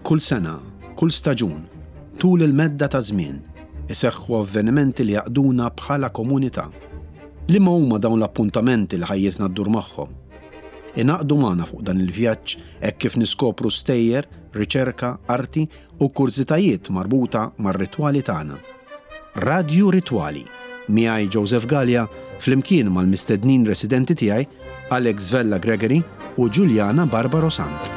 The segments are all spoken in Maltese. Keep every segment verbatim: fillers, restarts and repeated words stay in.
Kull sena, kull staġun, tul il-medda ta' żmien, iseħħu avvenimenti li jgħaqqduna bħala komunità. Liema huma dawn l-appuntamenti li ħajjitna ddur magħhom? Ingħaqdu magħna fuq dan il-vjaġġ hekk kif niskopru stejjer, riċerka, arti u kurżitajiet marbuta mar-ritwali tagħna. Radju Ritwali, miegħi Joseph Gallia flimkien mal-mistednin residenti tiegħi Alex Vella Gregory u Giuliana Barbaro Sant.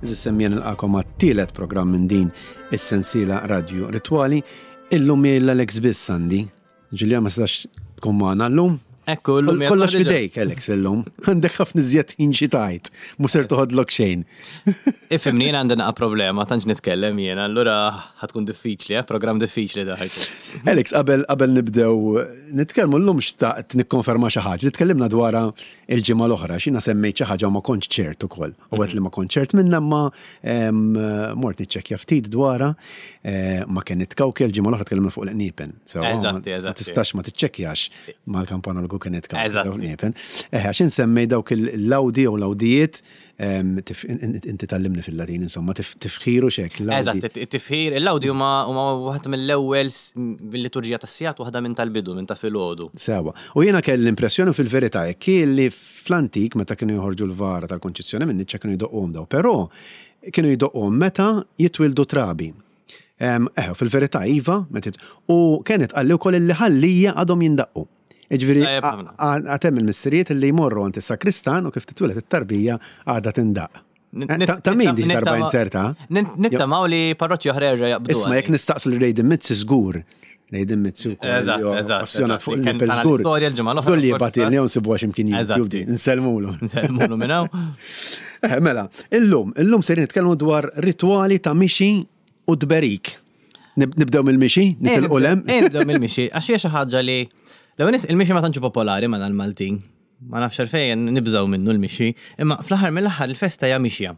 Għeżież nilqagħkom għat-tielet programm minn din is-sensiela Radio Ritwali. Illum l-Alex biss għandi. Ġulja ma setax tkun magħna llum. Ekku, llum Kollox fidejk, Alex, illum. Għandek ħafna iżjed ħin xi tgħid. Mhux ser toħodlok xejn. Ifhimni, jiena għandi naqa problema, tantx nitkellem jiena, allura ħa tkun diffiċli, eh? Programm diffiċli da ħajkun. Alex, qabel qabel nibdew nitkellmu llum xtaqt nikkonferma xi ħaġa li tkellimna dwarha il-ġimgħa l-oħra, x'jiena semmejt xi ħaġa u ma kontx ċert ukoll. U għedt li ma kontx ċert minnha ma mort niċċekkja ftit dwarha eh, ma kien Cauchi l-ġimgħa l-oħra tkellimna fuq l-qniepen. So, Eżatti, Ma eżatti. tistax ma tiċċekkjax mal-kampanologu Kenneth Cauchi. Eżatti. Qniepen. Eh, għax insemmej dawk il-lawdi jew lawdijiet, em, tif- inti tgħallimni fil-Latin, insomma, tif- tifħiru xek. lawdi. Eżatt, it-tifħir, il-lawdi huma huma waħda mill-ewwel s- bil-liturġija tas-sigħat, waħda minn tal-bidu, minn ta' filgħodu. Sewa. U jiena kelli l-impressjoni fil-verità jekk li fl-antik meta kienu joħorġu l-vara tal-Konċizzjoni minn niċċa kienu jdoqqhom daw, però kienu jdoqqhom meta jitwildu trabi. Em, Eh, fil-verità iva, meta jit- u kienet qalli wkoll li Ħal Lija għadhom jindaqqu. Ġifieri, Tajjeb ħafna. għad hemm il-missirijiet li jmorru għand is-sakristan u kif titwieled it-tarbija għadha tindaq. Eh, Ta' ta' min diġ darba inserta? Nittamaw li parroċċi oħra jerġa' jaqbdu. Isma' jekk nistaqsu li Rejden Mizzi żgur. Rejden Mizzi wkoll. Eżatt, li huwa eżatt, Passjonat eżatt. fuq Kien il-nipel tana żgur. l-istorja l-ġimgħa l-oħra, Żgur li forsi. jibatilni jew nsibuha x'imkien Eżatt. YouTube di. Nsellmulu. Nsellmulu minn hawn. Eh, mela, illum, illum serin nitkellmu dwar ritwali ta' mixi u tberik. Nib- Nibdew mill-mixi, nitilqu lem. Eh, nibdew mill-mixi, għax hija xi ħaġa li l-ewwel nies il-mixi ma tantx popolari ma l-Maltin. Ma nafx għalfejn nibżgħu minnu l-mixi, imma fl-aħħar mill-aħħar il-festa hija mixja.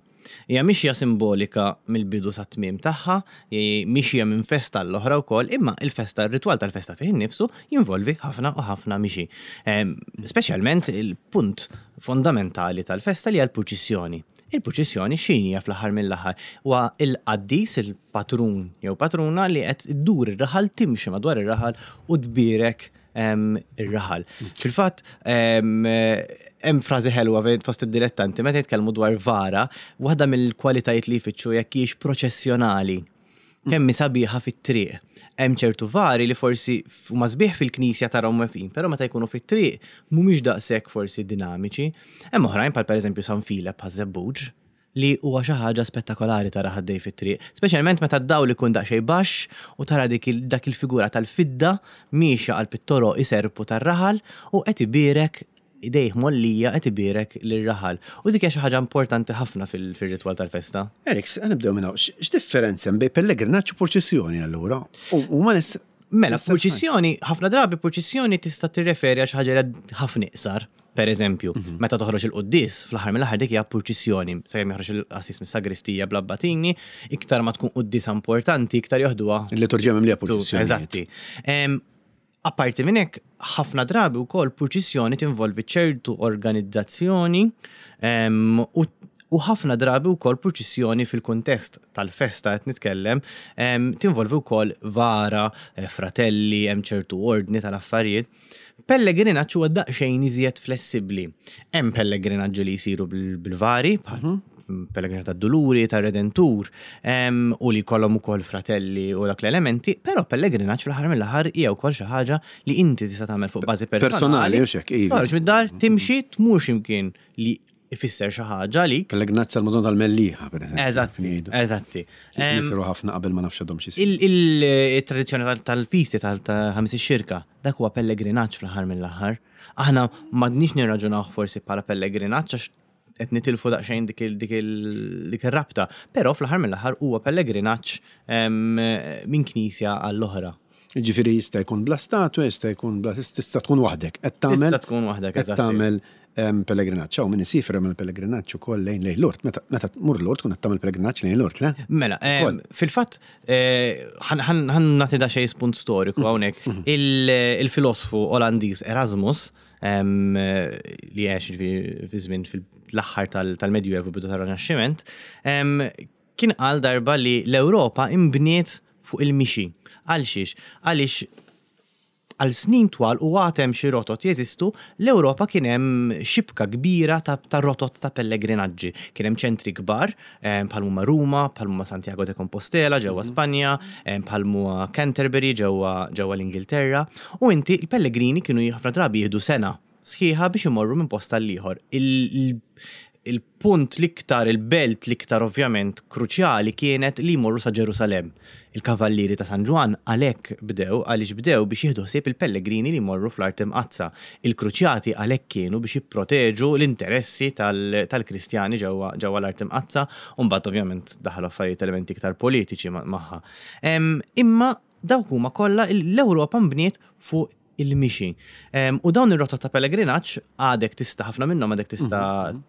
Hija mixja simbolika mill-bidu sa tmiem tagħha, hi mixja minn festa l-oħra wkoll, imma il-festa, ir-ritwal tal-festa fih innifsu jinvolvi ħafna u ħafna mixi. Em, Speċjalment il-punt fondamentali tal-festa li hija l-purċissjoni. Il-purċissjoni x'inhi fl-aħħar mill-aħħar huwa il-qaddis, il-patrun jew patruna li qed iddur ir-raħal timxi madwar ir-raħal u tbierek em, ir-raħal. Fil-fatt em, hemm frażi ħelwa fejn fost id-dilettanti meta jitkellmu dwar vara, waħda mill-kwalitajiet li jfittxu jekk hijiex proċessjonali. Kemm hi sabiħa fit-triq. Hemm ċertu vari li forsi huma sbieħ fil-knisja tarahom weqfin, però meta jkunu fit-triq mhumiex daqshekk forsi dinamiċi. Hemm oħrajn bħal pereżempju San Filep Ħaż-Żebbuġ li huwa xi ħaġa spettakolari tara ħaddej fit-triq, speċjalment meta d-dawl ikun daqsxejn baxx u tara dik il- dak il-figura tal-fidda miexja qalb it-toroq iserpu tar-raħal u qed ibierek idejh mgħollija qed ibierek lir-raħal. U dik hija xi ħaġa importanti ħafna fil- fir-ritwal tal-festa. Alex, nibdew minn hawn. X'differenza hemm bejn pellegrinaġġ u purċissjoni allura? U u ma nis. Mela, nista' purċissjoni, ħafna drabi purċissjoni tista' tirreferi għal xi ħaġa li ħafna iqsar. Per eżempju, meta toħroġ il-quddies, fl-aħħar mill-aħħar dik hija purċissjoni, sakemm joħroġ il-qassis mis-sagristija bl-abbatini, iktar ma tkun quddiesa importanti, iktar joħduha Il-liturġija mimlija purċissjoni. Eżatti. Em, Apparti minn hekk, ħafna drabi wkoll purċissjoni tinvolvi ċertu organizzazzjoni em, u U ħafna drabi wkoll purċissjoni fil-kuntest tal-festa qed nitkellem, em, tinvolvi wkoll vara, eh, fratelli, hemm ċertu ordni tal-affarijiet. Pellegrinaġġ huwa daqsxejn iżjed flessibbli. Hemm pellegrinaġġi li jsiru bil- bil-vari, bħal pellegrinaġġ tad-Duluri, tar-Redentur, em, u li jkollhom ukoll fratelli u dak l-elementi, però pellegrinaġġ fl-aħħar mill-aħħar hija wkoll xi ħaġa li inti tista' tagħmel fuq bażi personali. Personali, u xek, iva. Toħroġ mid-dar, timxi, tmur x'imkien li ifisser xi ħaġa għalik. Pellegrinaġġ tal-Madonna tal-Mellieħa, per eżempju. Eżatti, Ngħidu. eżatti. Em, Nisiru ħafna qabel ma nafx għadhom xi il- il- Il-tradizzjoni tal- tal-fisti tal-Ħamis ix-Xirka, dak huwa pellegrinaġġ fl-aħħar mill-aħħar. Aħna m'għadniex nirraġunaw forsi bħala pellegrinaġġ għax qed nitilfu daqsxejn dik il- dik il- dik ir-rabta, però fl-aħħar mill-aħħar huwa pellegrinaġġ em, minn knisja għall-oħra. Ġifieri jista' jkun bla statwa, jista' jkun bla tista' tkun waħdek. Qed tagħmel Tista' tkun waħdek, qed eżatti. tagħmel em, pellegrinaġġ. Hawn min isiefer jagħmel pellegrinaġġ ukoll lejn lejn Lourdes. Meta meta tmur Lourdes tkun qed tagħmel pellegrinaġġ lejn Lourdes, le? Mela, em, Ukoll. fil-fatt, eh, ħan nagħti da xejn spunt storiku hawnhekk. Il- Il-filosfu Olandiż Erasmus, em, li għex ġifieri fi żmien fil-aħħar tal- tal-Medjuevu, bidu tal-Rinaxximent, em, kien qal darba li l-Ewropa imbniet fuq il-mixi. Għal xiex? Għaliex għal snin twal u għad hemm xi rotot jeżistu, l-Ewropa kien hemm xibka kbira ta', ta' rotot ta' pellegrinaġġi. Kien hemm ċentri kbar, eh, bħal huma Ruma, bħal huma Santiago de Compostela ġewwa Spanja, eh, bħal huma Canterbury ġewwa ġewwa l-Ingilterra, u inti il-pellegrini kienu ħafna drabi jieħdu sena sħiħa biex imorru minn post għal ieħor. Il- il-punt l-iktar, il-belt l-iktar ovvjament kruċjali kienet li jmorru sa Ġerusalem. Il-kavallieri ta' San Ġwann għalhekk bdew, għaliex bdew biex jieħdu ħsieb il-pellegrini li jmorru fl-Art Imqaddsa. Il-kruċjati għalhekk kienu biex jipproteġu l-interessi tal- tal-Kristjani ġewwa ġewwa l-Art Imqaddsa, u mbagħad ovvjament daħlu affarijiet, elementi iktar politiċi ma- magħha. Em, Imma dawk huma kollha l-Ewropa mbniet fuq il-mixi. Em, U dawn ir-rotot ta' pellegrinaġġ għadek tista' ħafna minnhom għadek tista'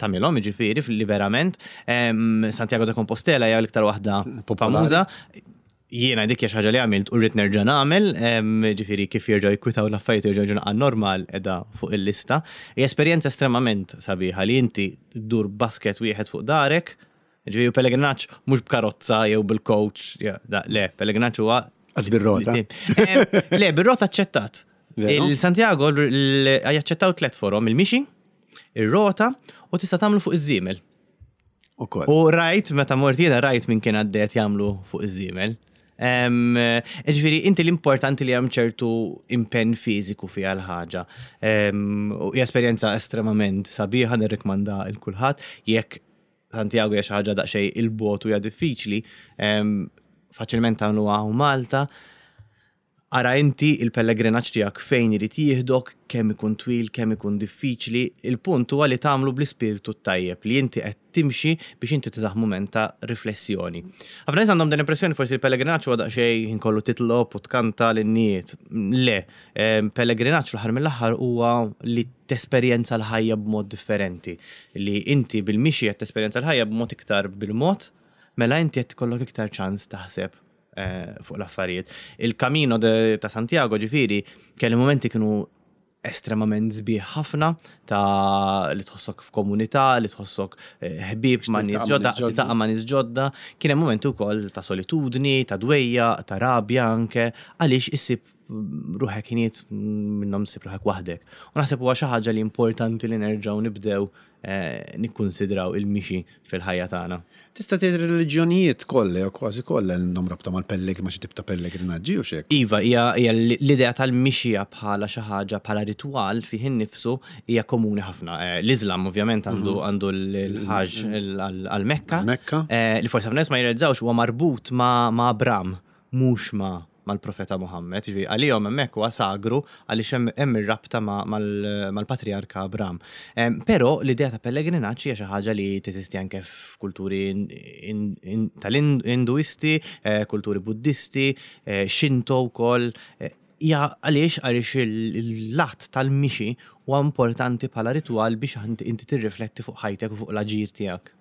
tagħmilhom, jiġifieri fil-liberament. Em, Santiago de Compostela hija l-iktar waħda Popolari. famuża. Jiena dik hija xi ħaġa li għamilt u rrid nerġa' nagħmel, em, ġifieri kif jerġgħu jkwitaw l-affarijiet u jerġgħu għan normal edha fuq il-lista. Hija esperjenza estremament sabiħa li inti ddur basket wieħed fuq darek, ġifieri pellegrinaġġ mhux b'karozza jew bil-coach, ja, da, le, pellegrinaġġ huwa Għax bir-rota. Em, Le, bir-rota aċċettat. Veru? Il-Santiago l- jaċċettaw tliet forom, il-mixi, ir-rota u tista' tagħmlu fuq iż-żiemel. Ukoll. U rajt, meta mort jiena rajt min kien għaddejet jagħmlu fuq iż-żiemel. Em, Ġifieri, inti l-importanti li hemm ċertu impenn fiżiku fiha l-ħaġa. Em, U hija esperjenza estremament sabiħa, nirrikmanda lil kulħadd. Jekk Santiago hija xi ħaġa daqsxejn 'il bogħod u hija diffiċli, em, faċilment tagħmluha hawn Malta. Ara inti il-pellegrinaġġ tiegħek fejn irid jieħdok, kemm ikun twil, kemm ikun diffiċli, il-punt huwa li tagħmlu bl-ispirtu tajjeb li inti qed timxi biex inti tiżaħ mument ta' riflessjoni. Ħafna nies għandhom din l-impressjoni forsi il-pellegrinaġġ huwa daqsxejn kollu titlob u tkanta l-innijiet. Le, em, pellegrinaġġ l-aħħar mill-aħħar huwa li tesperjenza l-ħajja b'mod differenti. Li inti bil-mixi qed tesperjenza l-ħajja b'mod iktar bil-mod, mela inti qed ikollok iktar ċans taħseb eh, fuq l-affarijiet. Il-Camino de, ta' Santiago ġifieri kelli momenti kienu estremament sbieħ ħafna ta' li tħossok f'komunità, li tħossok eh, ħbieb ma' nies tiltaqa' ma' ġodda, nies ġodda. tiltaqa' ma' nies ġodda. Kien hemm momenti wkoll ta' solitudni, ta' dwejja, ta' rabja anke, għaliex issib ruħek ħinijiet minnhom ssib ruħek waħdek. U naħseb huwa xi ħaġa li importanti li nerġgħu nibdew eh, nikkunsidraw il-mixi fil-ħajja tagħna. Tista' tgħid reliġjonijiet kollha jew kważi kollha għandhom rabta mal-pelleg ma' xi tip ta' pellegrinaġġi u xek. Iva, hija hija l-idea tal-mixija bħala xi ħaġa bħala ritwal fih innifsu hija komuni ħafna. Eh, L-Islam ovvjament għandu għandu l-ħaġ għal-Mekka. Mekka. Eh, Li forsi ħafna nies ma jirrealizzawx huwa marbut ma' ma' Abram, mhux ma' mal-profeta Muhammad. Ġifieri għalihom hemmhekk huwa sagru għaliex hemm hemm ir-rabta ma' mal- mal-patriarka Abram. Em, Però l-idea ta' pellegrinaġġ hija xi ħaġa li teżisti anke f'kulturi in- in- in- tal-Induisti, eh, kulturi Buddisti, eh, Shinto wkoll. eh, Hija għaliex għaliex il-lat tal-mixi huwa importanti bħala ritwal biex inti inti tirrifletti fuq ħajtek u fuq l-aġir tiegħek.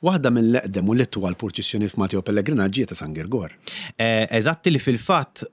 Waħda mill-eqdem u l-itwal purċissjoni f'Malta jew pellegrinaġġi ta' San Girgor. Eh, Eżatti, li fil-fatt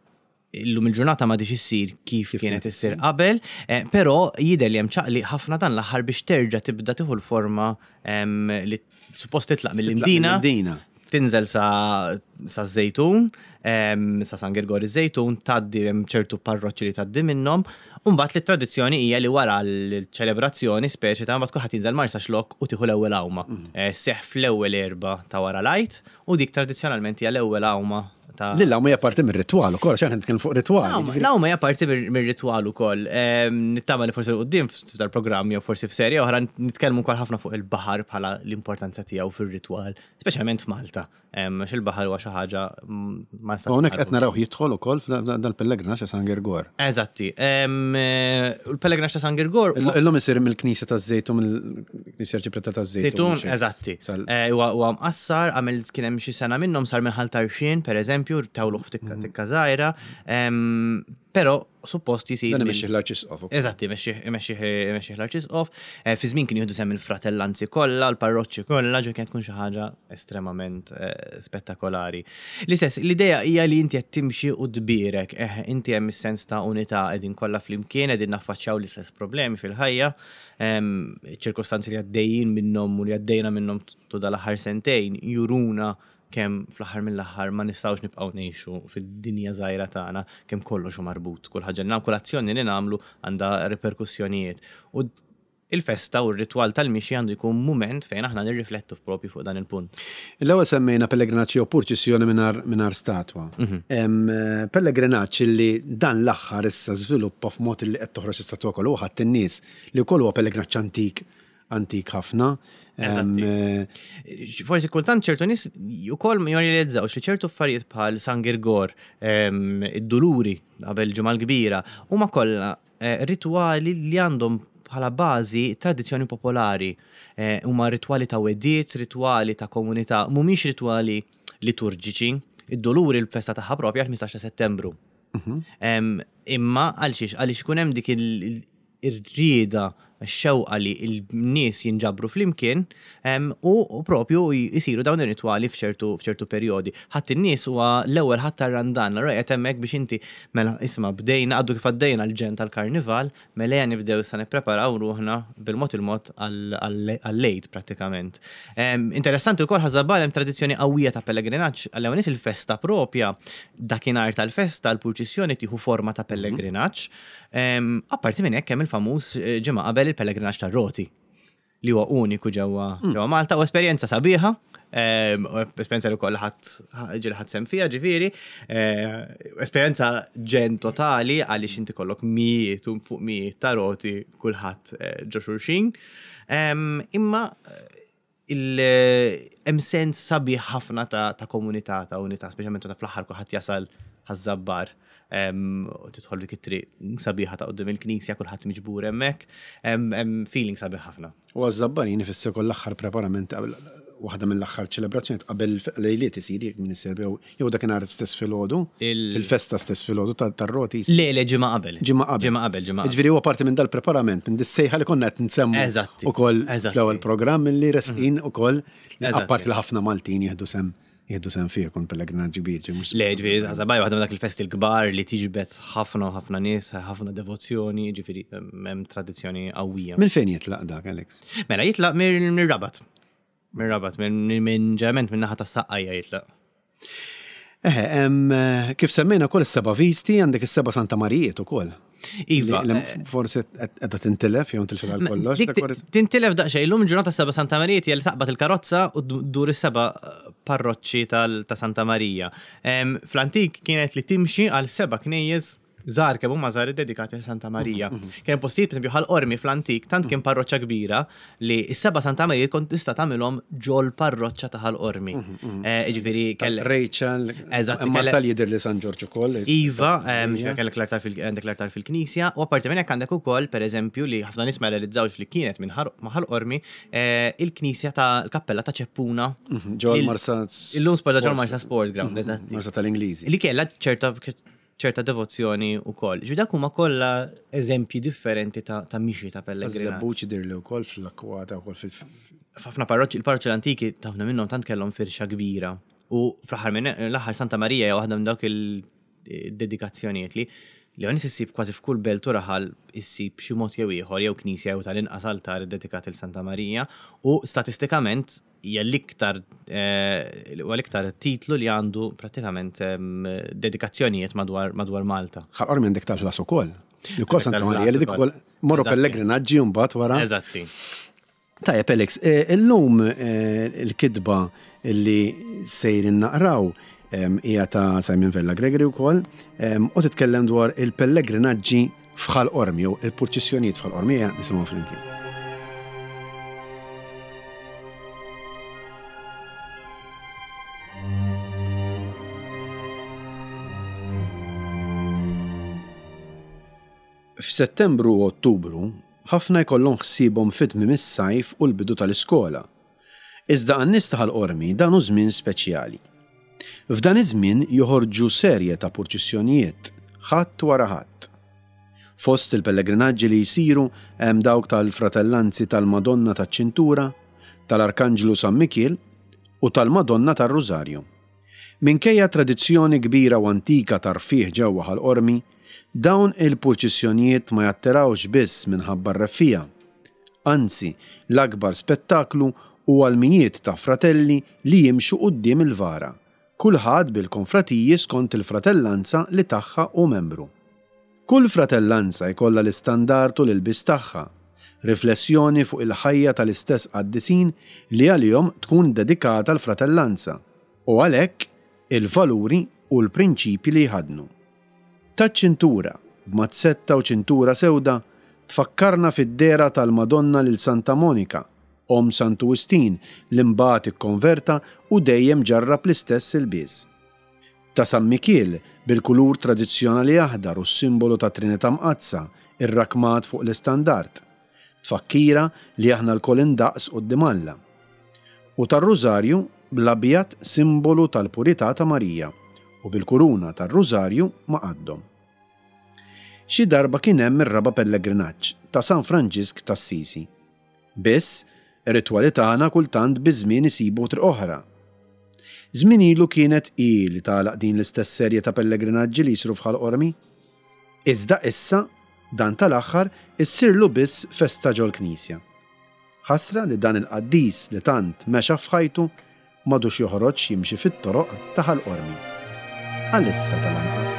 illum il-ġurnata ma diċ issir kif kienet issir qabel, eh, però jidher li hemm ċaqli ħafna dan l-aħħar biex terġa' tibda tieħu l-forma em, li suppost titlaq mill-Imdina, Mill-Imdina. tinżel sa, sa Żejtun, em, sa San Girgor iż-Żejtun, tgħaddi hemm ċertu parroċċi li tgħaddi minnhom, u mbagħad li tradizzjoni hija li wara l-ċelebrazzjoni speċi ta' mbagħad kulħadd jinżel Marsaxlokk u tieħu l-ewwel għawma. Eh, Seħ fl-ewwel Erbgħa ta' wara l-Għid u dik tradizzjonalment hija l-ewwel għawma ta' Lilla hija parti mir-ritwal ukoll, x'aħna nitkellmu fuq ritwal. L-għawma l-għawma hija parti mir- mir-ritwal ukoll. Em, Nittama li forsi 'l quddiem f'dal-programm jew forsi f'serje oħra nitkellmu wkoll ħafna fuq il-baħar bħala l-importanza tiegħu fir-ritwal, speċjalment f'Malta. Em, Għax il-baħar huwa xi ħaġa mm, ma nistax Hawnhekk nħarbu. qed naraw jidħol ukoll dal-pellegrinaġġ ta' San Girgor. Eżatti. Em, eh, U l-pellegrinaġġ ta' San Girgor huwa- Illum isir mill-Knisja taż-Żejtun, mill-Knisja Arċipreta taż-Żejtun. Żejtun, eżatti. Sal- Eh, Huwa huwa mqassar, għamil kien hemm xi sena minnhom sar minn Ħal Tarxien, per eżempju, eżempju, tawluh f'tikka tikka żgħira, em, però suppost jisir. Dan mill- imexxih l-Arċisqof. Eżatt, imexxih l-Arċisqof. Eh, Fi żmien kien jieħdu sehem il-fratellanzi kollha, l-parroċċi kollha, ġo kienet tkun xi ħaġa estremament eh, spettakolari. L-istess, l-idea hija li inti qed timxi u tbierek, eh, inti hemm is-sens ta' unità qegħdin kollha flimkien, qegħdin naffaċċjaw l-istess problemi fil-ħajja, em, ċirkostanzi li għaddejjin minnhom u li għaddejna minnhom tu dal-aħħar sentejn juruna kemm fl-aħħar mill-aħħar ma nistgħux nibqgħu ngħixu fid-dinja żgħira tagħna kemm kollox hu marbut. Kull ħaġa li nagħmlu, kull azzjoni li nagħmlu għandha reperkussjonijiet. U il-festa u r-ritwal tal-mixi għandu jkun mument fejn aħna nirriflettu propju fuq dan il-punt. L-ewwel semmejna pellegrinaġġ jew purċissjoni mingħajr mingħajr statwa. Em, eh, Pellegrinaġġ li dan l-aħħar issa żviluppa f'mod li qed toħroġ istatwa kollu ħadd in-nies li wkoll huwa pellegrinaġġ antik antik ħafna. Em, Eżatti. eh, Forsi kultant ċertu nies ukoll ma jirrealizzawx li ċertu affarijiet bħal San Girgor, em, id-Duluri qabel ġimgħa l-kbira, huma kollha eh, ritwali li għandhom bħala bażi tradizzjoni popolari. Eh, Huma ritwali ta' wegħdiet, ritwali ta' komunità, mhumiex ritwali liturġiċi. Id-Duluri l-festa tagħha propja l-ħmistax ta' Settembru. Em, Imma għalxiex, għaliex ikun hemm dik il- ir-rieda, x-xewqa li l-nies jinġabru flimkien em, u u propju jisiru dawn ir-ritwali f'ċertu f'ċertu perjodi. Ħadd in-nies huwa l-ewwel ħadd tar-Randan, allura qed hemmhekk biex inti mela isma' bdejna għaddu kif għaddejna l-ġenn tal-karnival, mela ejja nibdew issa nippreparaw ruħna bil-mod il-mod għall-Għid prattikament. Em, Interessanti wkoll Ħaż-Żabbar hemm tradizzjoni qawwija ta' pellegrinaġġ, għal nies il-festa propja dakinhar tal-festa l-purċissjoni tieħu forma ta' pellegrinaġġ. Em, Apparti minn hekk hemm il-famuż eh, ġimgħa qabel il-pellegrinaġġ tar-roti li huwa uniku ġewwa ġewwa Malta u esperjenza sabiħa, em, u esperjenza li wkoll ħadd ġieli ħadt sehem fiha ġifieri, eh, esperjenza ġenn totali għaliex inti kollok mijiet u fuq mijiet ta' roti kulħadd eh, ġo xulxin. Em, Imma il hemm sens sabiħ ħafna ta' ta' komunità, ta' unità, speċjalment ta' fl-aħħar kulħadd jasal Ħaż-Żabbar. em, u tidħol dik it-triq sabiħa ta' quddiem il-knisja, kulħadd miġbur hemmhekk. Hemm hemm feeling sabiħ ħafna. U għaż-Żabbarin ifisser koll l-aħħar preparament qabel waħda mill-aħħar ċelebrazzjoni qabel lejliet isir jekk minn isir jew jew dakinhar stess filgħodu, Il- fil-festa stess filgħodu tar-roti. Le, le, ġimgħa qabel. Ġimgħa qabel. Ġimgħa qabel, ġimgħa qabel. Ġifieri huwa parti minn dal-preparament, minn dis-sejħa li konna qed nsemmu Eżatti, ukoll eżatti. fl-ewwel programm li resqin ukoll Eżatti. apparti li ħafna Maltin jieħdu sehem jieħdu sehem fih ikun pellegrinaġġ kbir. ġi mhux- Le, ġifieri, Ħaż-Żabbar waħda minn dak il-festi l-kbar li tiġbed ħafna u ħafna nies, ħafna devozzjoni, ġifieri, hemm tradizzjoni qawwija. Minn fejn jitlaq dak, Alex? Mela, jitlaq mir-Rabat. Mir-Rabat, minn ġeneralment minn naħa tas-Saqqajja jitlaq. Eħe, em, kif semmejna wkoll is-seba' visti, għandek is-seba' Santa Marijiet ukoll. Iva. Li- li Forsi qiegħda tintilef jew intilfet għal kollox. Dik dak tintilef daqsxejn, illum ġurnata seba' Santa Marija hija li taqbad il-karozza u ddur is-seba' parroċċi tal- ta' Santa Marija. Em, Fl-antik kienet li timxi għal seba' knejjes żgħar kemm huma żgħar dedikati għal Santa Marija. Kien postijiet, per esempio, Ħal Qormi fl-antik, tant kien parroċċa kbira li s-seba' Santa Marija kont tista' tagħmilhom ġol parroċċa ta' Ħal Qormi. Eh, Ġifieri kell Rachel, Eżatt, Marta kellek- li jidher li San Ġorġ ukoll. Iva, em, ġifieri kellek l-artar fil- għandek l-artar fil-knisja, u apparti minn hekk għandek ukoll, per eżempju, li ħafna nies ma realizzawx li kienet minn ħar- ma' Ħal Qormi, eh, il-knisja ta' l-kappella ta' Ċeppuna. Ġol Il- Marsa. Illum sporta ġol Marsa Sports Ground, eżatti. Marsa tal-Ingliżi. Li kellha ċerta ċerta devozzjoni u koll. Ġu dak huma kollha eżempji differenti ta' ta' mixi ta' pellegrinaġġ. Żebbuġ jidher li wkoll fl-akkwata wkoll fil. F'ħafna parroċċi, il-parroċċi l-antiki ta' ħafna minnhom tant kellhom firxa kbira. U fl-aħħar minn l-aħħar Santa Marija hija waħda minn dawk il-dedikazzjonijiet li li għan issib kważi f'kull belt u raħal issib xi mod jew ieħor jew knisja jew tal-inqas altar dedikat il Santa Marija u statistikament hija l-iktar eh, huwa l-iktar titlu li għandu prattikament em, dedikazzjonijiet madwar madwar Malta. Ħal Qormi għandek tal-ħlas ukoll. Li wkoll Santa tal-ħlas Marija li dik ukoll. ukoll morru Eżatti. pellegrinaġġi mbagħad wara. Eżatti. Tajjeb, Alex, eh, illum eh, il-kitba li sejrin naqraw em, hija ta' Simon Vella Gregory wkoll em, u titkellem dwar il-pellegrinaġġi f'Ħal Qormi jew il-purċissjonijiet f'Ħal Qormi ejja nisimgħu flimkien. F'Settembru u Ottubru, ħafna jkollhom ħsiebhom fit-tmiem is-sajf u l-bidu tal-iskola. Iżda għan-nies ta' Ħal Qormi dan hu żmien speċjali. F'dan iż-żmien joħorġu serje ta' purċissjonijiet, ħadd wara ħadd. Fost il-pellegrinaġġi li jsiru hemm dawk tal-Fratellanzi tal-Madonna taċ-Ċintura, tal-Arkanġlu San Mikiel u tal-Madonna tar-Rużarju. Minkejja tradizzjoni kbira u antika ta' rfigħ ġewwa Ħal Qormi, dawn il-purċissjonijiet ma jattirawx biss minħabba r-reffiegħa. Anzi, l-akbar spettaklu huwa l-mijiet ta' fratelli li jimxu quddiem il-vara, kulħadd bil-konfratiji skont il-fratellanza li tagħha hu membru. Kull fratellanza jkollha l-istandard u l-ilbies tagħha, riflessjoni fuq il-ħajja tal-istess qaddisin li għalihom tkun dedikata l-fratellanza u għalhekk il-valuri u l-prinċipji li jħaddnu. Taċ-ċintura, b'mazzetta u ċintura sewda, tfakkarna fid-dehra tal-Madonna lil Santa Monika, omm Santu Wistin li mbagħad ikkonverta u dejjem ġarrab l-istess ilbies. Ta' San Mikiel bil-kulur tradizzjonali aħdar u s-simbolu ta' Trinità Mqaddsa irrakmat fuq l-istandard, tfakkira li aħna lkoll indaqs quddiem Alla. U tar-Rużarju bl-abjad simbolu tal-purità ta' Marija u bil-kuruna tar-Rużarju ma' qaddhom. Xi darba kien hemm ir-raba' pellegrinaġġ ta' San Franġisk t'Assisi. Biss, ir-ritwali tagħna kultant biż-żmien isibu triq oħra. Żmien ilu kienet hi li tagħlaq din l-istess serje ta' pellegrinaġġi li jsiru f'Ħal Qormi. Iżda issa dan tal-aħħar issirlu biss festa ġol-knisja. Ħasra li dan il-qaddis li tant mexa f'ħajtu m'għadux joħroġ jimxi fit-toroq ta' Ħal Qormi. Għalissa tal-anqas.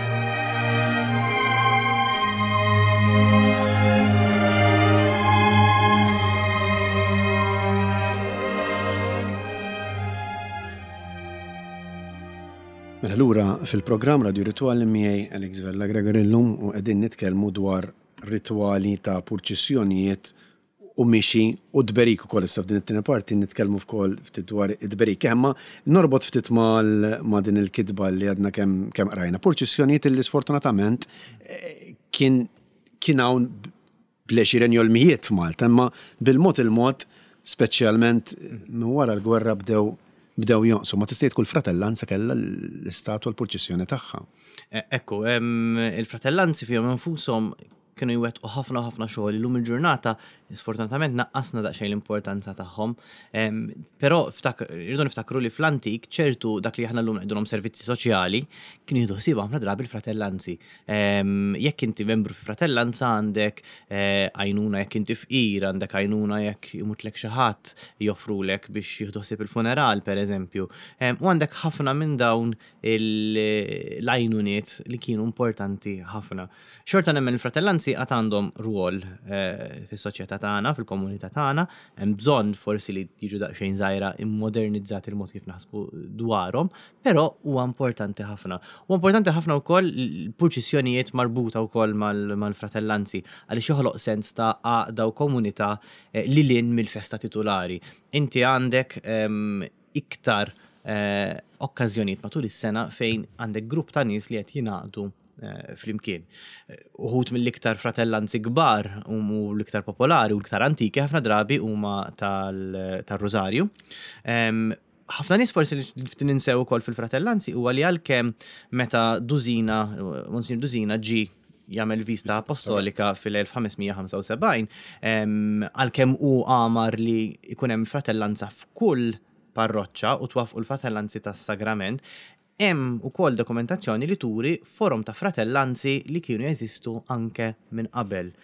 Mela lura fil-programm Radio Ritwali miegħi Alex Vella Gregory llum u qegħdin nitkellmu dwar ritwali ta' purċissjonijiet u mixi u tberik ukoll. Issa f'din it-tieni parti nitkellmu wkoll ftit dwar it-tberik. Imma norbot ftit mal ma' din il-kitba li għadna kemm kemm qrajna. Purċissjonijiet li sfortunatament kien kien hawn bl-għexieren jew l-mijiet f'Malta, imma bil-mod il-mod, speċjalment minn wara l-gwerra bdew bdew jonqsu. Ma tista' kull fratellanza kellha l-istatwa l-purċissjoni tagħha. Ekku, il-fratellanzi fihom infushom kienu jwettqu ħafna ħafna xogħol. Illum il-ġurnata sfortunatament naqqasna daqsxejn l-importanza tagħhom. Però irridu niftakru li fl-antik ċertu dak li aħna llum ngħidulhom servizzi soċjali kienu jieħdu ħsieb ħafna drabi l-fratellanzi. Jekk inti membru fi fratellanza għandek għajnuna jekk inti fqir, għandek għajnuna jekk imutlek xi ħadd joffrulek biex jieħdu ħsieb il-funeral pereżempju. U għandek ħafna minn dawn l-għajnuniet li kienu importanti ħafna. Xorta nemmen il-fratellanzi għad għandhom rwol fis-soċjetà tagħna, fil-komunità tagħna, hemm bżonn forsi li jiġu daqsxejn żgħira immodernizzati il-mod kif naħsbu dwarhom, però huwa importanti ħafna. Huwa importanti ħafna wkoll l-purċissjonijiet marbuta wkoll mal-fratellanzi għaliex joħloq sens ta' għaqda u komunità li lin mill-festa titulari. Inti għandek iktar okkażjonijiet matul is-sena fejn għandek grupp ta' nies li qed jingħaqdu flimkien. Uħud mill-iktar fratellanzi kbar u l-iktar popolari u l-iktar antiki ħafna drabi huma tal-Rużarju. Ħafna nies forsi li ftit ninsew ukoll fil-fratellanzi huwa li għalkemm meta Dużina, Monsignor Dużina ġie jagħmel vista apostolika fil-elf ħames mija ħamsa u sebgħin, għalkemm hu għamar li jkun hemm fratellanza f'kull parroċċa u twaffqu l-fratellanzi tas-sagrament, hemm ukoll dokumentazzjoni li turi forom ta' fratellanzi li kienu jeżistu anke minn qabel.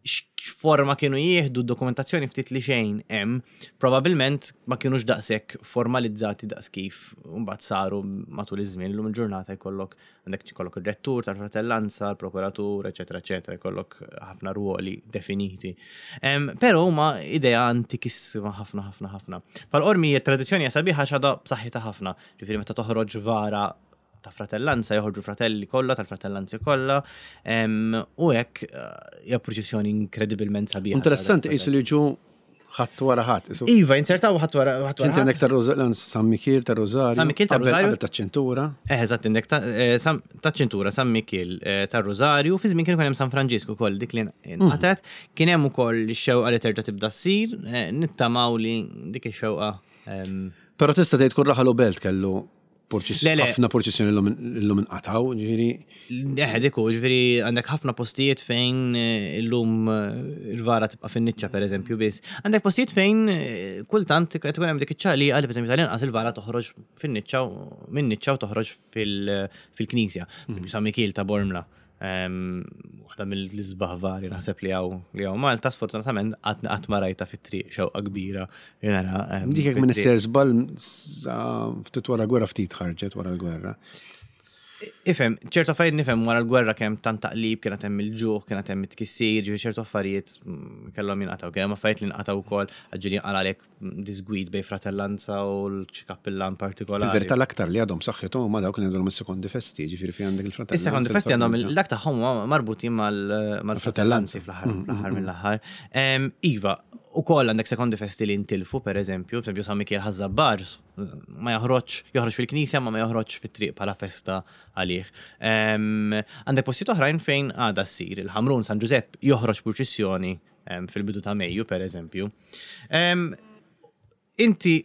X'forma kienu jieħdu d-dokumentazzjoni ftit li xejn hemm, probabbilment ma kienux daqshekk formalizzati daqs kif mbagħad saru matul iż-żmien. Illum il-ġurnata jkollok għandek jkollok ir-rettur tal-fratellanza, l-prokuratur, eċetera, eċetera, jkollok ħafna ruoli definiti. Però huma idea antikissima ħafna, ħafna, ħafna. Fal-Qormi t-tradizzjoni hija sabiħa għax għadha b'saħħitha ħafna. Ġifieri meta toħroġ vara ta' fratellanza, joħorġu fratelli kollha, tal-fratellanzi kollha, u hekk hija purċissjoni inkredibilment sabiħa. Interessanti qisu li ġu ħadd wara ħadd. Iva, insertaw ħadd wara ħadd wara Inti għandek tar-Rużarju, San Mikiel tar-Rużarju. San Mikiel tar-Rużarju. Qabel taċ-ċintura. Eh, eżatt, għandek taċ-ċintura, San Mikiel tar-Rużarju, fi żmien kien hemm San Franġisku ukoll dik li nqatgħet, kien hemm ukoll ix-xewqa li terġa' tibda ssir, nittamaw li dik ix-xewqa. Però tista' tgħid kull raħal u belt kellu Le, le. ħafna purċissjoni illum inqataw, ġifieri. Eħe, dik hu, ġifieri għandek ħafna postijiet fejn eh, illum eh, il-vara tibqa' fin-niċċa pereżempju biss. Għandek postijiet fejn eh, kultant qed ikun hemm dik iċ-ċaqliqa li pereżempju tal-inqas il-vara toħroġ fin-niċċa u- minn niċċa u toħroġ fil- fil-knisja. Mm. San Mikiel ta' Bormla. Em, Waħda mill-isbaħ vari naħseb li hawn li hawn Malta, sfortunatament qatt qatt ma rajta fit-triq xewqa kbira li nara. em, Dik jekk minn fit-triq. isser żball sa ftit wara gwerra ftit ħarġet wara l-gwerra. Ifhem, ċertu affarijiet nifhem wara l-gwerra kemm tant taqlib, kienet hemm il-ġuħ, kienet hemm it-tkissir, ġifieri ċertu affarijiet mm, kellhom jinqataw. Kien hemm affarijiet li nqataw ukoll ġieli għalek disgwid bejn fratellanza u l-xi kappillan partikolari. Fil-verità l-aktar li għadhom saħħithom huma dawk li għandhom is-sekondi festi, ġifieri fi għandek il-fratellanza. Is-sekondi festi għandhom il-fratellanza. dak tagħhom huma marbutin mal- mal-fratellanzi fl-aħħar fl-aħħar mill-aħħar. Em, Iva, ukoll għandek sekondi festi li ntilfu, per eżempju, per eżempju San Mikiel Ħaż-Żabbar ma joħroġ, joħroġ fil-knisja ma ma joħroġ fit-triq bħala festa għalih. Em, Għandek postijiet oħrajn fejn għada ssir, il-Ħamrun San Giuseppe joħroġ purċissjoni em, fil-bidu ta' Mejju, per eżempju. Em, Inti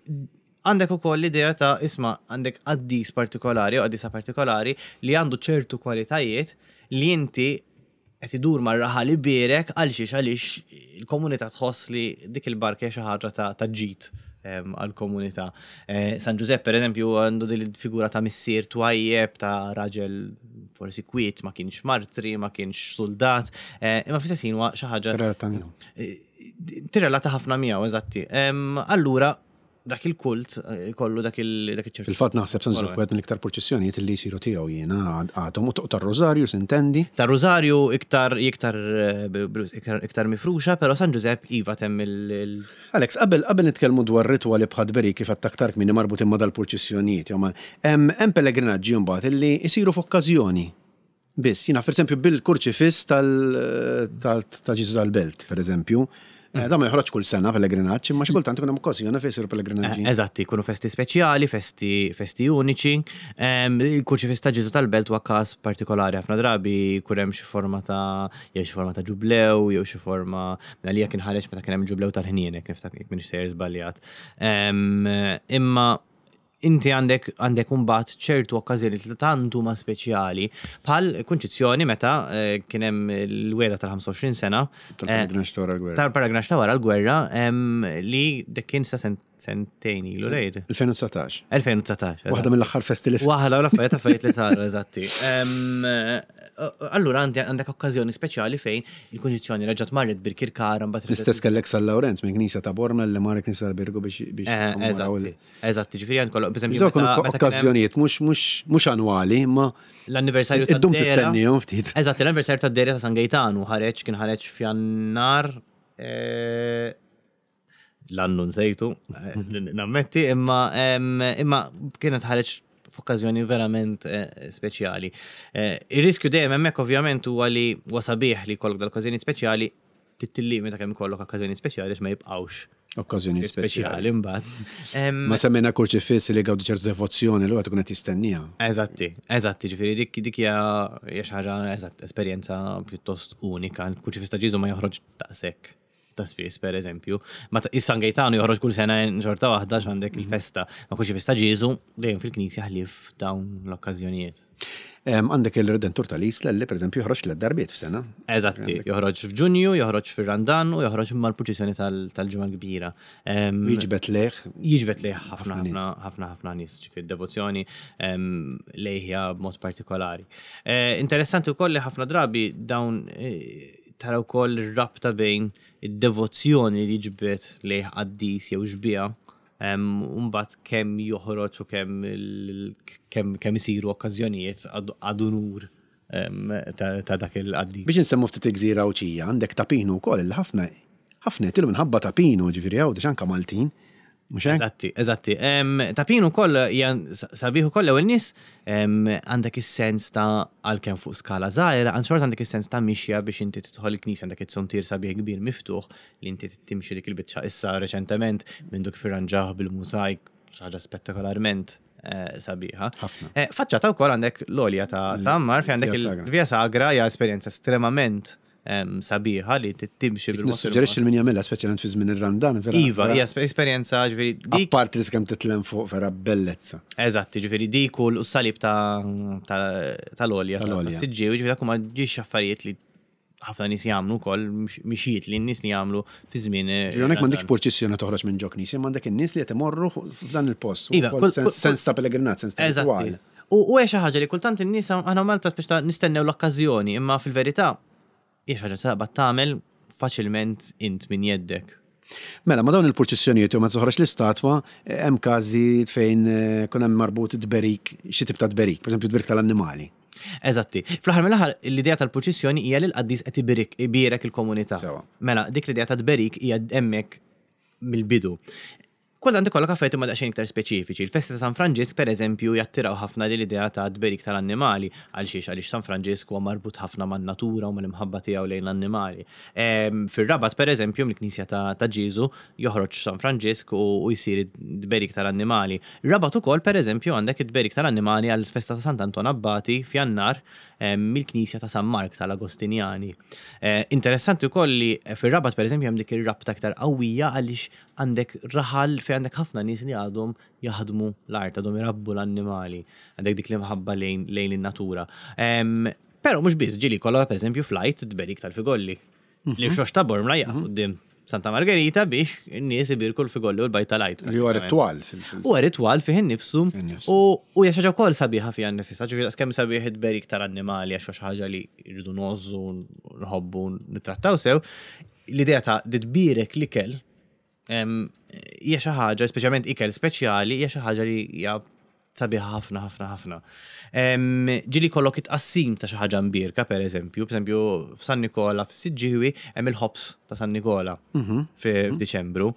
għandek ukoll l-idea ta' isma' għandek qaddis partikolari u qaddisa partikolari li għandu ċertu kwalitajiet li inti qed idur mar-raħal ibierek għal xiex għaliex il-komunità tħoss li dik il-barka hija xi ħaġa ta' ta' ġid em, għal-komunità. Eh, San Giuseppe, per eżempju, għandu din il-figura ta' missier twajjeb, ta' raġel forsi kwiet, ma kienx martri, ma kienx soldat, eh, imma fl-istess ħin huwa xi ħaġa Tirrelata miegħu. tirrelata ħafna miegħu, eżatti. Em, Allura, dak il-kult eh, kollu dak il dak iċ-ċertu. Fil-fatt naħseb San Giuseppe wieħed mill-iktar purċissjonijiet li jsiru tiegħu jiena għadhom u tar-Rożarju s'intendi. Ta' Rosario iktar iktar eh, b- b- iktar, iktar mifruxa, però San Giuseppe iva temm il, il Alex, qabel qabel nitkellmu dwar ritwali bħal beri kif għedt aktar kmieni marbutin ma' dal-purċissjonijiet, jew ma' hemm hemm pellegrinaġġi mbagħad illi jsiru f'okkażjoni. Biss, jiena pereżempju bil-kurċifiss tal tal ta' Ġisu tal-Belt, pereżempju. Eh, Da ma joħroġ kull sena pellegrinaġġ, imma xi kultant ikun hemm okkażjoni fejn isiru pellegrinaġġi. Eh, Eżatti, jkunu festi speċjali, festi, festi uniċi. Em, Il-kurċifiss ta' Ġisu tal-Belt huwa każ partikolari ħafna drabi jkun hemm xi forma ta' jew xi forma ta' ġublew, jew xi forma għalija kien ħareġ meta kien hemm ġublew tal-ħnienek, niftakar jekk m'iniex sejjer żbaljat. Em, Imma inti għandek għandek mbagħad ċertu okkażjoni li tant huma speċjali bħal kunċizzjoni meta eh, kien hemm il-wegħda tal-ħamsa u għoxrin sena eh, Tal-pellegrinaġġ ta' wara l-gwerra. tal-pellegrinaġġ ta' wara l-gwerra em, li dak kien sa sent- sentejn ilu rejt. elfejn u dsatax. elfejn u dsatax. Waħda mill-aħħar festi li Waħda l-affarijiet affarijiet li saru, eżatti. Em, eh, Allura għandi- għandek okkażjoni speċjali fejn il-kunċizzjoni reġgħet marret Birkirkara mbagħad L-istess kellek San Lawrenz minn knisja ta' Bormla li mar knisja tal-Birgu biex biex Eh, jkommemoraw il- Eżatti, eżatti, ġifieri għand kollu, per eżempju, Dawk kienu meta- meta kien hemm okkażjonijiet mhux mhux mhux annwali, imma l-anniversarju ta' iddum tistennihom ftit. Eżatt, l-anniversarju ta' Dehra ta' San Gaetanu ħareġ kien ħareġ f'Jannar eh, l-annu nsejtu, eh, nammetti, imma em, imma kienet ħareġ f'okkażjoni verament eh, speċjali. Eh, Ir-riskju dejjem hemmhekk ovvjament huwa li huwa sabiħ li jkollok dal-okkażjoni speċjali tittillimita kemm ikollok okkażjoni speċjali għax ma jibqgħux Okkażjoni speċjali. speċjali mbagħad. Em, Ma semmejna kurċifiss li gawdi ċertu devozzjoni li għad tkun qed jistennija. Eżatti, eżatti, ġifieri dik dik hija hija xi ħaġa eżatt esperjenza pjuttost unika. Il-kurċifiss ta' Ġisu ma joħroġ daqshekk ta' spiss, per eżempju. Ma ta' is-San Gaetano joħroġ kull sena xorta waħda x'għandek il-festa. Ma kurċifiss ta' Ġisu dejjem fil-knisja ħlief dawn l-okkażjonijiet. Em, Għandek il-Redentur tal-Isla li pereżempju joħroġ tliet darbiet f'sena. Eżatti, joħroġ f'Ġunju, joħroġ fir-Randan u joħroġ mal-purċissjoni tal- tal-Ġimgħa l-Kbira. Em, Jiġbed lejh jiġbed lejh ħafna Ħafna nies. ħafna ħafna ħafna nies, ġifieri devozzjoni em, lejha b'mod partikolari. Eh, Interessanti wkoll li ħafna drabi dawn eh, tara wkoll ir-rabta bejn id-devozzjoni li jiġbed lejh qaddis jew xbieha em, u mbagħad kemm joħroġ u kemm il- kemm kemm isiru okkażjonijiet ad ad unur em, ta' ta' dak il-qaddis. Biex nsemmu ftit gżira Għawdxija, għandek Ta' Pinu wkoll li ħafna ħafna jtilu minħabba Ta' Pinu, ġifieri Għawdex anka Maltin. Mhux hekk? Eżatti, eżatti. Em, Ta' Pinu ukoll hija sabiħ ukoll ewwel nies em, għandek is-sens ta' għalkemm fuq skala żgħira, għand xorta għandek is-sens ta' mixja biex inti tidħol il-knisja għandek it-suntier sabiħ kbir miftuħ li inti timxi dik il-biċċa issa reċentement minn duk firranġaħ bil-mużajk, xi ħaġa spettakolarment eh, sabiħa. Ħafna. Eh, Faċċata wkoll għandek l-għolja ta' ta' Għammar fejn għandek Via Sagra. il-Via Sagra hija esperjenza estremament sabiħa li timxi bil Nissuġġerixxi min jagħmilha speċjalment fi żmien ir-Randan, vera. Iva, hija esperjenza ġifieri dik. Apparti li kemm titlem fuq vera bellezza. Eżatt, ġifieri dik u s-salib tal-olja tas-Siġġiewi, ġifieri dak huma ġiex affarijiet li ħafna nies jagħmlu wkoll mixjiet li n-nies li jagħmlu fi żmien. Ġifieri hawnhekk m'għandekx purċissjoni toħroġ minn ġo knisja, m'għandek in-nies li qed imorru f'dan il-post. Iva, sens ta' pellegrinaġġ, sens ta' ritwal. U hija xi ħaġa li kultant in-nies aħna Malta biex nistennew l-okkażjoni, imma fil-verità hija xi ħaġa saqba tagħmel faċilment int minn jeddek. Mela, ma dawn il-purċissjonijiet u ma toħroġ l-istatwa, hemm każi fejn kun hemm marbut tberik, xi tip ta' tberik, pereżempju tberik tal-annimali. Eżatti. Fl-aħħar mill-aħħar l-idea tal-purċissjoni hija li l-qaddis qed ibierek il-komunità. Mela, dik l-idea ta' tberik hija hemmhekk mill-bidu. Kultant ikollok affarijiet huma daqsxejn iktar speċifiċi. Il-festa ta' San Franġisk pereżempju jattiraw ħafna din l-idea ta' tberik tal-annimali għal xiex għaliex San Franġisk huwa marbut ħafna man-natura u mal-imħabba tiegħu lejn l-annimali. Fir-Rabat pereżempju mill-Knisja ta' Ġieżu joħroġ San Franġisk u jsir tberik tal-annimali. Rabat ukoll pereżempju għandek it-tberik tal-annimali għall-festa ta' Sant'Anton Abbati f'Jannar mill-Knisja ta' San Mark tal-Agostinjani. Interessanti wkoll li fir-Rabat pereżempju hemm dik ir-rabta aktar qawwija għaliex għandek raħal fejn għandek ħafna nies li għadhom jaħdmu l-art, għadhom irabbu l-annimali, għandek dik l-imħabba lejn in-natura. Però mhux biss, ġieli kollha pereżempju flight tberik tal-figolli. Li xox ta' Bormla jaqfu quddiem Santa Margherita biex in-nies ibirku l-figolli u l-bajt tal-għajt. Li huwa ritwal. Huwa ritwal fih innifsu u hija xi ħaġa wkoll sabiħa fiha nnifisha, ġifieri kemm sabiħ it-tberik tal-annimali għax xi ħaġa li rridu ngħożżu, nħobbu, nittrattaw sew. L-idea ta' tbierek l-ikel hija xi ħaġa, speċjalment ikel speċjali, hija xi ħaġa li hija sabiħa ħafna ħafna ħafna. Ġieli kollok it-tqassim ta' xi ħaġa mbierka pereżempju, pereżempju f'San Nikola f'Siġġiewi hemm il-ħobż ta' San Nikola f'Diċembru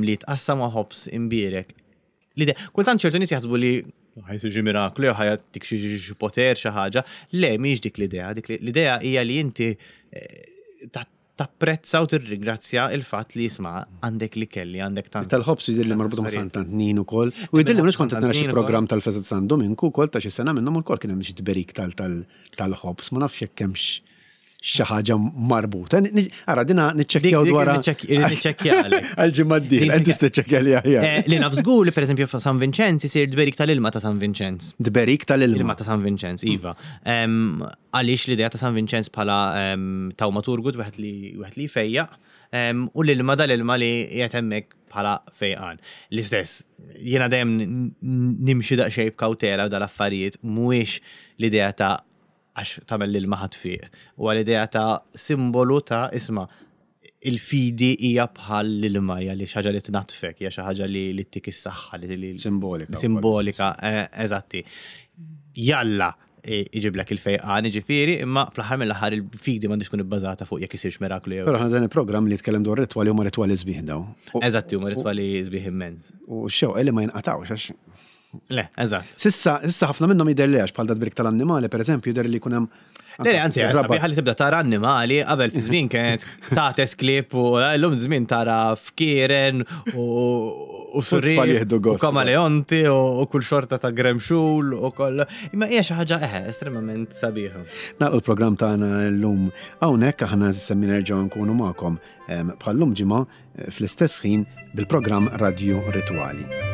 li jitqassam ma' ħobż imbierek. L-idea, kultant ċertu nies jaħsbu li ħajsir xi miraklu jew ħajtik xi poter xi ħaġa. Le, mhijiex dik l-idea, dik l-idea hija li inti tapprezza u tirringrazzja il-fatt li jisma' għandek li kelli, għandek tant. Tal-ħobż jidher li marbuta ma' Sant'Antnin ukoll. U jidher li mhux kont qed nara xi programm tal-festa ta' San Dominku wkoll ta' xi sena minnhom ukoll kien hemm xi tberik tal-ħobż, ma nafx jekk hemmx xi ħaġa marbuta. Ara dina niċċekkjaw dwar. Niċċekkjalek. Għal-ġimgħa d-dieħla, inti tiċċekkja li aħjar. Li naf żgur li pereżempju f'San Vinċenz isir tberik tal-ilma ta' San Vinċenz. Tberik tal-ilma. Ilma ta' San Vinċenz, iva. Għaliex l-idea ta' San Vinċenz bħala tawmaturgu wieħed li wieħed li jfejjaq u l-ilma dal-ilma li qiegħed hemmhekk bħala fejqan. L-istess, jiena dejjem nimxi daqsxejn b'kawtela dal-affarijiet mhuwiex l-idea ta' għax tagħmel l-ilma ħadd fiq. U l-idea ta' simbolu ta' isma' il-fidi hija bħal l-ilma, hija li xi ħaġa li tnatfek, hija xi ħaġa li ttik is-saħħa li simbolika. Simbolika, eżatti. Jalla iġiblek il-fejqan, jiġifieri, imma fl-aħħar mill-aħħar il-fidi m'għandix tkun ibbażata fuq jekk isirx miraklu jew. Però aħna dan il-programm li jitkellem dwar ritwali huma ritwali sbieħ daw. Eżatti, huma ritwali sbieħ immens. U x-xewqa li ma jinqatgħux għax Le, eżatt. Sissa, sissa ħafna minnhom jidher li għax bħal dat-tberik tal-annimali, pereżempju, jidher li jkun hemm. Le, anzi, sabiħa li tibda tara annimali, qabel fi żmien kienet tates klieb u llum żmien tara fkieren u surri u kamaleonti u kull xorta ta' gremxul u koll. Imma hija xi ħaġa eħe estremament sabiħa. Nagħlqu l-programm tagħna llum hawnhekk aħna semmi nerġgħu nkunu magħkom bħal-lum ġimgħa fl-istess ħin bil-programm Radio Ritwali.